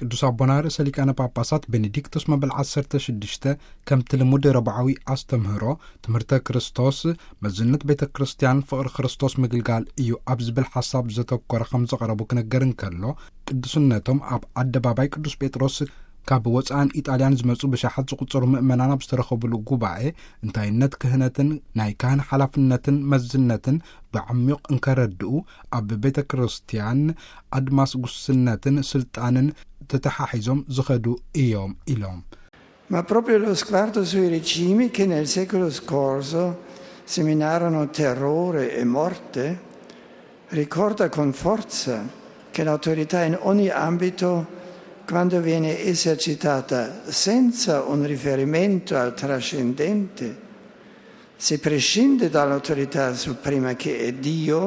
ቅዱስ ኣቦና ርእሰ ሊቃነ ጳጳሳት ቤኔዲክቶስ መበል ዓሰርተ ሽዱሽተ፣ ከምቲ ልሙድ ረብዓዊ ኣስተምህሮ ትምህርተ ክርስቶስ፣ መዝነት ቤተ ክርስቲያን፣ ፍቕሪ ክርስቶስ ምግልጋል እዩ ኣብ ዝብል ሓሳብ ዘተኮረ ከም ዘቕረቡ ክነገር እንከሎ፣ ቅዱስነቶም ኣብ ኣደባባይ ቅዱስ ጴጥሮስ ካብ ወፃእን ኢጣልያን ዝመፁ ብሽሓት ዝቑጸሩ ምእመናን ኣብ ዝተረኸቡሉ ጉባኤ፣ እንታይነት ክህነትን ናይ ካህን ሓላፍነትን መዝነትን ብዓሚቕ እንከረድኡ፣ ኣብ ቤተ ክርስቲያን ኣድማስ ጉስነትን ስልጣንን ተተሓሒዞም ዝኸዱ እዮም ኢሎም። Ma proprio lo sguardo sui regimi che nel secolo scorso seminarono terrore e morte ricorda con forza che l'autorità in ogni ambito, quando viene esercitata senza un riferimento al trascendente, se prescinde dall'autorità suprema che è Dio,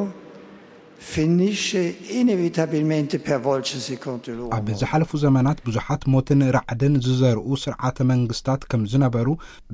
finisce inevitabilmente per volgersi contro l'uomo. ኣብ ዝሓለፉ ዘመናት ብዙሓት ሞትን ራዕድን ዝዘርኡ ስርዓተ መንግስታት ከም ዝነበሩ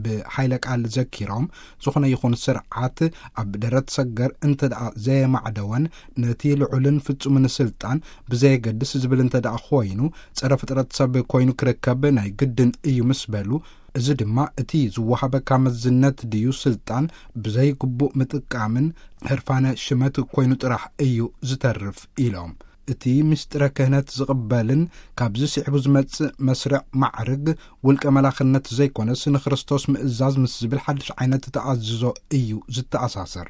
ብሓይለ ቃል ዘኪሮም፣ ዝኾነ ይኹን ስርዓት ኣብ ደረት ሰገር እንተ ደኣ ዘየማዕደወን፣ ነቲ ልዑልን ፍጹምን ስልጣን ብዘየገድስ ዝብል እንተ ደኣ ኮይኑ፣ ጸረ ፍጥረት ሰብ ኮይኑ ክርከብ ናይ ግድን እዩ ምስ በሉ፣ እዚ ድማ እቲ ዝወሃበካ መዝነት ድዩ ስልጣን ብዘይግቡእ ምጥቃምን ህርፋነ ሽመት ኮይኑ ጥራሕ እዩ ዝተርፍ ኢሎም። እቲ ምስጢረ ክህነት ዝቕበልን ካብዚ ስዒቡ ዝመጽእ መስርዕ ማዕርግ ውልቀ መላኽነት ዘይኮነስ ንክርስቶስ ምእዛዝ ምስ ዝብል ሓድሽ ዓይነት ተኣዝዞ እዩ ዝተኣሳሰር።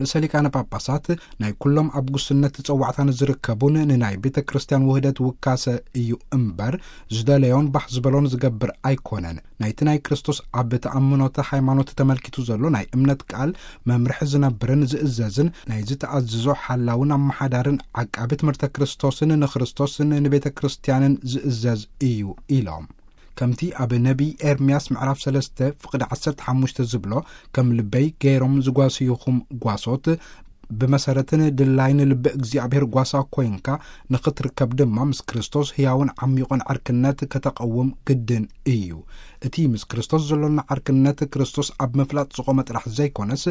ርእሰ ሊቃነ ጳጳሳት ናይ ኩሎም ኣብ ጉስነት ጸዋዕታ ንዝርከቡን ንናይ ቤተ ክርስቲያን ውህደት ውካሰ እዩ እምበር ዝደለዮን ባህ ዝበሎን ዝገብር ኣይኮነን። ናይቲ ናይ ክርስቶስ ኣብ ተኣምኖተ ሃይማኖት ተመልኪቱ ዘሎ ናይ እምነት ቃል መምርሒ ዝነብርን ዝእዘዝን ናይ ዝተኣዝዞ ሓላውን ኣመሓዳርን ዓቃቢ ትምህርተ ክርስቶስን ንክርስቶስን ንቤተ ክርስቲያንን ዝእዘዝ እዩ ኢሎም። ከምቲ ኣብ ነቢይ ኤርምያስ ምዕራፍ ሰለስተ ፍቕዲ ዓሰርተ ሓሙሽተ ዝብሎ፣ ከም ልበይ ገይሮም ዝጓስዩኹም ጓሶት፣ ብመሰረትን ድላይን ልቢ እግዚኣብሔር ጓሳ ኮይንካ ንኽትርከብ ድማ ምስ ክርስቶስ ህያውን ዓሚቑን ዕርክነት ከተቐውም ግድን እዩ። እቲ ምስ ክርስቶስ ዘሎና ዕርክነት ክርስቶስ ኣብ ምፍላጥ ዝቖመ ጥራሕ ዘይኮነስ፣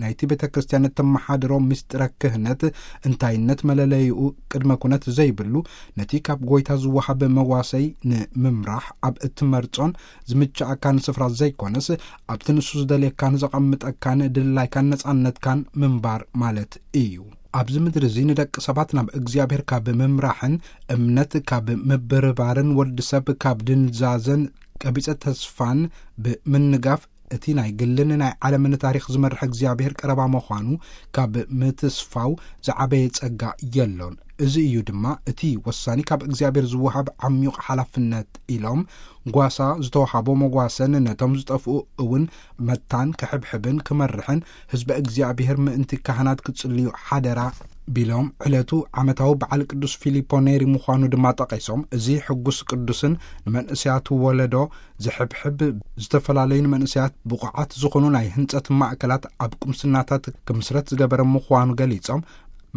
ናይቲ ቤተ ክርስቲያን እተመሓድሮ ምስጢረ ክህነት እንታይነት መለለይኡ ቅድመ ኩነት ዘይብሉ፣ ነቲ ካብ ጎይታ ዝወሃብ መዋሰይ ንምምራሕ ኣብ እትመርጾን ዝምችኣካን ስፍራ ዘይኮነስ፣ ኣብቲ ንሱ ዝደልየካን ዘቐምጠካን ድላይካን ነጻነትካን ምንባር ማለት እዩ። ኣብዚ ምድሪ እዚ ንደቂ ሰባት ናብ እግዚኣብሔር ካብ ምምራሕን እምነት ካብ ምብርባርን ወዲ ሰብ ካብ ድንዛዘን ቀቢጸ ተስፋን ብምንጋፍ እቲ ናይ ግልን ናይ ዓለምን ታሪኽ ዝመርሕ እግዚኣብሔር ቀረባ ምዃኑ ካብ ምትስፋው ዝዓበየ ጸጋ የሎን። እዚ እዩ ድማ እቲ ወሳኒ ካብ እግዚኣብሔር ዝወሃብ ዓሚቕ ሓላፍነት ኢሎም ጓሳ ዝተወሃቦ መጓሰን ነቶም ዝጠፍኡ እውን መታን ክሕብሕብን ክመርሕን ህዝበ እግዚኣብሔር ምእንቲ ካህናት ክጽልዩ ሓደራ ቢሎም ዕለቱ ዓመታዊ በዓል ቅዱስ ፊሊፖ ኔሪ ምዃኑ ድማ ጠቒሶም እዚ ሕጉስ ቅዱስን ንመንእሰያቱ ወለዶ ዝሕብሕብ ዝተፈላለዩ ንመንእሰያት ብቑዓት ዝኾኑ ናይ ህንጸት ማእከላት ኣብ ቁምስናታት ክምስረት ዝገበረ ምዃኑ ገሊጾም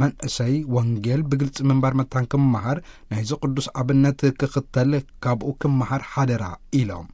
መንእሰይ ወንጌል ብግልጺ ምንባር መታን ክመሃር ናይዚ ቅዱስ ኣብነት ክኽተል ካብኡ ክመሃር ሓደራ ኢሎም።